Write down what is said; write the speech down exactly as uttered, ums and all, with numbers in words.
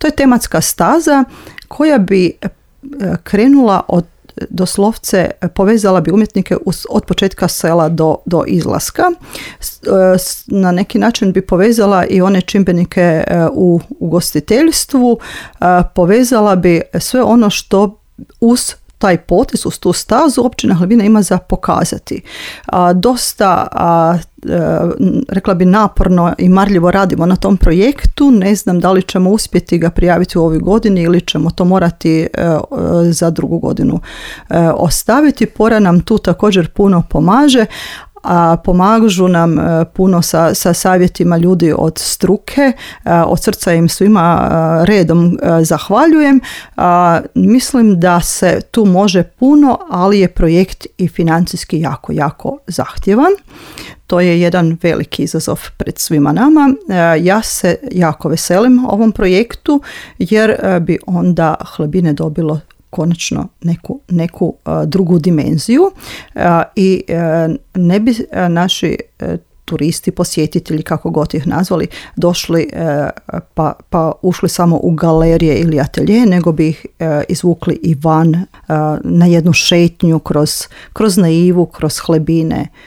To je tematska staza koja bi krenula od doslovce povezala bi umjetnike od početka sela do, do izlaska. Na neki način bi povezala i one čimbenike u ugostiteljstvu, povezala bi sve ono što uz taj potez, uz tu stazu općina Hlebina ima za pokazati. A, dosta, a, a, rekla bi, naporno i marljivo radimo na tom projektu. Ne znam da li ćemo uspjeti ga prijaviti u ovoj godini ili ćemo to morati a, a, za drugu godinu a, ostaviti. Pora nam tu također puno pomaže, a pomažu nam puno sa, sa savjetima ljudi od struke. Od srca im svima redom zahvaljujem. Mislim da se tu može puno, ali je projekt i financijski jako, jako zahtjevan. To je jedan veliki izazov pred svima nama. Ja se jako veselim ovom projektu jer bi onda Hlebine dobilo konačno neku, neku uh, drugu dimenziju uh, i uh, ne bi uh, naši uh, turisti, posjetitelji, kako god ih nazvali, došli uh, pa, pa ušli samo u galerije ili atelje, nego bi ih uh, izvukli i van uh, na jednu šetnju kroz, kroz naivu, kroz Hlebine,